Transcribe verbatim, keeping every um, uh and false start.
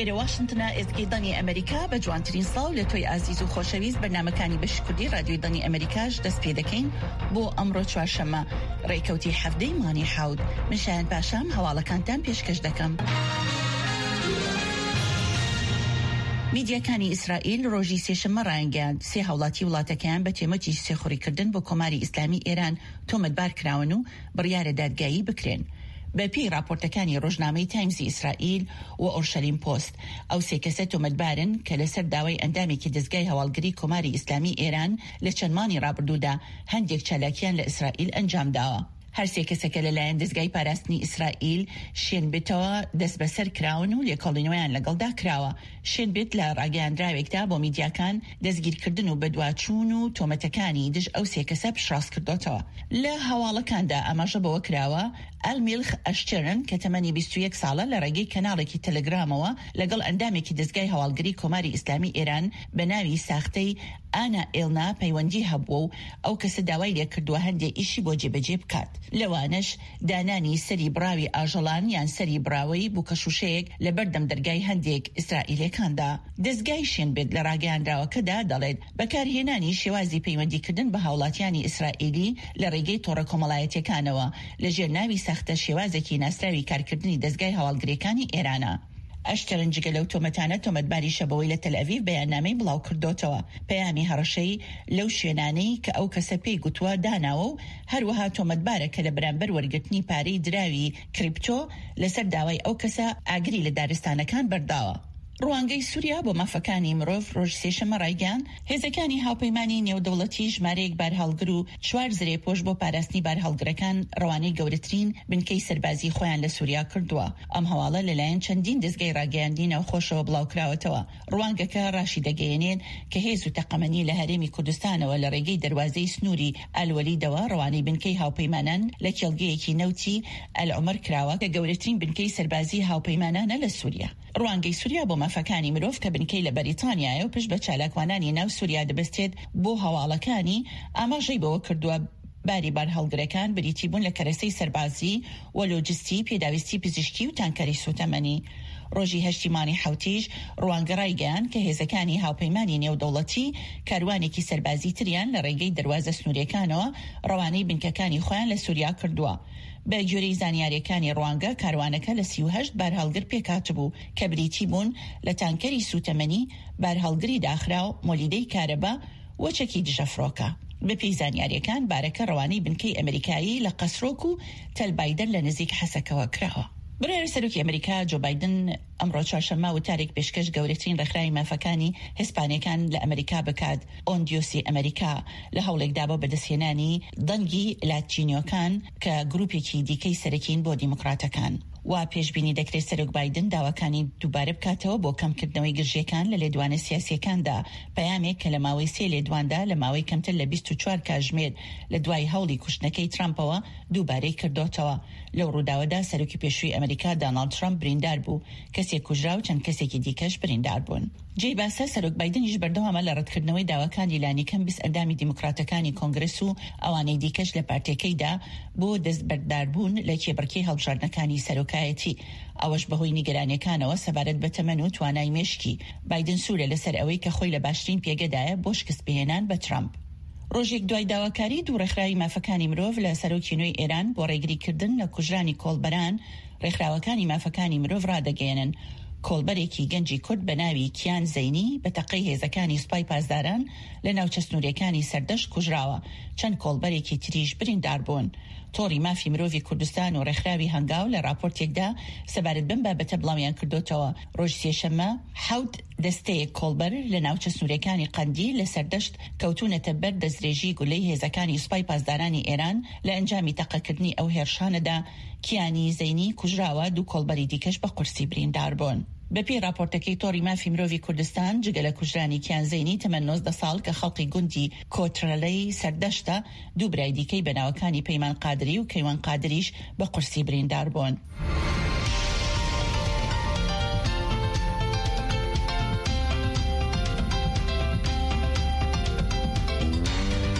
ئێرە واشنتنە، ئێزگەی دەنگی ئەمەریکا. بە جوانترین سڵاو لە تۆی ئازیز و خۆشەویست بەرنامەکانی بەشی کوردی رادیۆی دەنگی ئەمەریکاش دەست پێ دەکەین بۆ ئەمڕۆ چوارشەممە ڕێکەوتی حەڤدەی مانگی حەوت. من شایان پاشام هەواڵەکانتان پێشکەش دەکەم. میدیاکانی ئیسرائیل ڕۆژی سێشەممە ڕایانگەیاند، سێ هاوڵاتی وڵاتەکەیان بە تێمەتی سێخوڕیکردن بۆ کۆماری ئیسلامی ئێران تۆمەتبار کراون و بڕیارە دادگایی بکرێن. بە پێی ڕاپۆرتەکانی ڕۆژنامەی تایمزی ئیسرائیل و ئۆرشەلیم پۆست، ئەو سێ کەسە تۆمەتبارن کە لەسەر داوای ئەندامێکی دەزگای هەواڵگری کۆماری ئیسلامی ئێران لە چەند مانگی ڕابردوودا هەندێک چالاکیان لە ئیسرائیل ئەنجامداوە. هەر سێ کەسەکە لەلایەن دەزگای پاراستنی ئیسرائیل شین بێتەوە دەستبەسەر کراون و لێکۆڵینەوەیان لەگەڵدا کراوە. شین بێت لە ڕاگەیاندراوێکدا بۆ میدیاکان دەستگیرکردن و بەدواچوون و تۆمەتەکانی دژ ئەو سێ کەسە پشتڕاست کردۆتەوە. لە هەواڵەکاندا ئاماژە بەوە کراوە، ئەلمیلخ ئەشتێرن کە تەمەنی بیست و یەک ساڵە لە ڕێگەی کەناڵێکی تەلەگرامەوە لەگەڵ ئەندامێکی دەزگای هەواڵگری کۆماری ئیسلامی ئێران بە ناوی ساختەی ئانا ئێلنا پەیوەندی هەبووە و ئەو کەسە داوای لێکردووە هەندێ ئیشی بۆ جێبەجێ بکات، لەوانەش دانانی سەری بڕاوی ئاژەڵان یان سەری بڕاوەی بووکەشوشەیەک لە بەردەم دەرگای هەندێک ئیسرائیلەکاندا. دەزگای شین بێت لە ڕاگەیاندراوەکەدا دەڵێت، بەکارهێنانی شێوازی پەیوەندیکردن بە هاوڵاتیانی ئیسرائیلی لە ڕێگەی تۆڕە کۆمەڵایەتیەکانەوە لەژێر ناوی ساختە شێوازێکی ناسراوی کارکردنی دەزگای هەواڵگریەکانی ئێرانە. ئەشترن جگە لەو تۆمەتانە تۆمەتباریشە بەوەی لە تەلئەڤیڤ بەیاننامەی بڵاو کردۆتەوە پەیامی هەڕەشەی لەو شوێنانەی کە ئەو کەسە پێی گوتووە داناوە و هەروەها تۆمەتبارە کە لە بەرامبەر وەرگرتنی پارەی دراوی کریپتۆ لەسەر داوای ئەو کەسە ئاگری لە دارستانەکان بەرداوە. ڕوانگەی سووریا بۆ مافەکانی مرۆڤ ڕۆژ سێشەممە ڕایگەیاند، هێزەکانی هاوپەیمانی نێودەوڵەتی ژمارەیەک بارهەڵگر و چوار زرێپۆش بۆ پاراستنی بارهەڵگرەکان ڕەوانەی گەورەترین بنکەی سەربازی خۆیان لە سووریا کردووە. ئەم هەواڵە لەلایەن چەندین دەزگای ڕاگەیاندنی ناوخۆشەوە بڵاوکراوەتەوە. ڕوانگەکە ڕاشی دەگەیەنێت کە هێز و تەقەمەنی لە هەرێمی کوردستانەوە لە ڕێگەی دەروازەی سنووری ئەلوەلیدەوە ڕەوانەی بنکەی هاوپەیمانان لە کێڵگەیەکی نەوتی ئەلعومەر کراوە کە گەورەترین بنکەی سەربازی هاوپەیمانانە لە سووریا. ڕوانگەی سووریا بۆ مافەکانی مرۆڤ کە بنکەی لە بەریتانیایە و پشت بە چالاکوانانی ناو سووریا دەبەستێت بۆ هەواڵەکانی، ئاماژەی بەوە کردووە باری بارهەڵگرەکان بریتی بوون لە کەرەسەی سەربازی و لۆجستی، پێداویستی پزیشکی و تانکەری سوتەمەنی. ڕۆژی هەشتی مانگی حەوتیش ڕوانگە ڕایگەیاند کە هێزەکانی هاوپەیمانی نێودەوڵەتی کاروانێکی سەربازی تریان لە ڕێگەی دەروازە سنووریەکانەوە ڕەوانەی بنکەکانی خۆیان لە سووریا کردووە. بە گوێرەی زانیاریەکانی ڕوانگە، کاروانەکە لە سی و هەشت بارهەڵگر پێکهاتبوو کە بریتی بوون لە تانکەری سوتەمەنی، بارهەڵگری داخراو، مۆلیدەی کارەبا و چەکی دژەفڕۆکە. بەپێی زانیاریەکان بارەکە ڕەوانەی بنکەی ئەمریکایی لە قەسرۆک و تەل بایدەر لە نزیک حەسەکەوە کراوە. بڕیارە سەرۆکی ئەمریکا جۆ بایدن ئەمڕۆ چوارشەممە وتارێک پێشکەش گەورەترین ڕێکخراوی مافەکانی هیسپانیەکان لە ئەمریکا بکات، ئۆندیۆسی ئەمریکا، لە هەوڵێکدا بۆ بەدەستهێنانی دەنگی لاتینیۆکان کە گروپێکی دیکەی سەرەکین بۆ دیموکراتەکان. وا پێشبینی دەکرێت سەرۆک بایدن داواکانی دووبارە بکاتەوە بۆ کەمکردنەوەی گرژیەکان لە لێدوانە سیاسیەکاندا، پەیامێک کە لە ماوەی سێ لێدواندا لە ماوەی کەمتر لە بیست و چوار کاژمێر لە دوای هەوڵی کوشتنەکەی ترامپەوە دووبارەی کردۆتەوە. لەو ڕووداوەدا سەرۆکی پێشووی ئەمریکا داناڵد ترامپ بریندار بوو، کەسێک کوژرا و چەند کەسێکی دیکەش بریندار بوون. جێی باسە سەرۆک بایدنیش بەردەوامە لە ڕەتکردنەوەی داواکانی لانیکەم بیست ئەندامی دیموکراتەکانی کۆنگرس و ئەوانەی دیکەش لە پارتیەکەیدا بۆ دەستبەرداربوون لە کێبڕکێی هەڵبژاردنەکانی سەرۆکایەتی، ئەوەش بەهۆی نیگەرانیەکانەوە سەبارەت بە تەمەن و توانای مێشکی. بایدن سوورە لەسەر ئەوەی کە خۆی لە باشترین پێگەدایە بۆ شکستپێهێنان بە ترامپ. ڕۆژێک دوای داواکاری دوو ڕێکخراوی مافەکانی مرۆڤ لە سەرۆکی نوێی ئێران بۆ ڕێگریکردن لە کوژرانی کۆڵبەران، ڕێکخراوەکانی مافەکانی مرۆڤ ڕادەگەیەنن کۆڵبەرێکی گەنجی کورد بە ناوی کیان زەینی بە تەقەی هێزەکانی سوپای پاسداران لە ناوچە سنووریەکانی سەردەشت کوژراوە، چەند کۆڵبەرێکی تریش بریندار بوون. تۆڕی مافی مرۆڤی کوردستان و ڕێکخراوی هەنگاو لە ڕاپۆرتێکدا سەبارەت بەم بابەتە بڵاویان کردوتەوە. ڕۆژ سێشەممە حەوت دەستەیەک کۆڵبەر لە ناوچە سنووریەکانی قەندیل لە سەردەشت کەوتونەتە بەر دەستدرێژی گولەی هێزەکانی سوپای پاسدارانی ئێران. لە ئەنجامی تەقەکردنی ئەو هێرشانەدا کیانی زەینی کوژراوە، دوو کۆڵبەری دیکەش بە قورسی بریندار بوون. بەپێی ڕاپۆرتەکەی تۆڕی مافی مرۆڤی کوردستان، جگە لە کوژرانی کیان زەینی تەمەن نۆزدە ساڵ کە خەڵقی گوندی کۆترەلەی سەردەشتە، دوو برای دیکەی بە ناوەکانی پەیمان قادری و کەیوان قادریش بە قورسی بریندار بوون.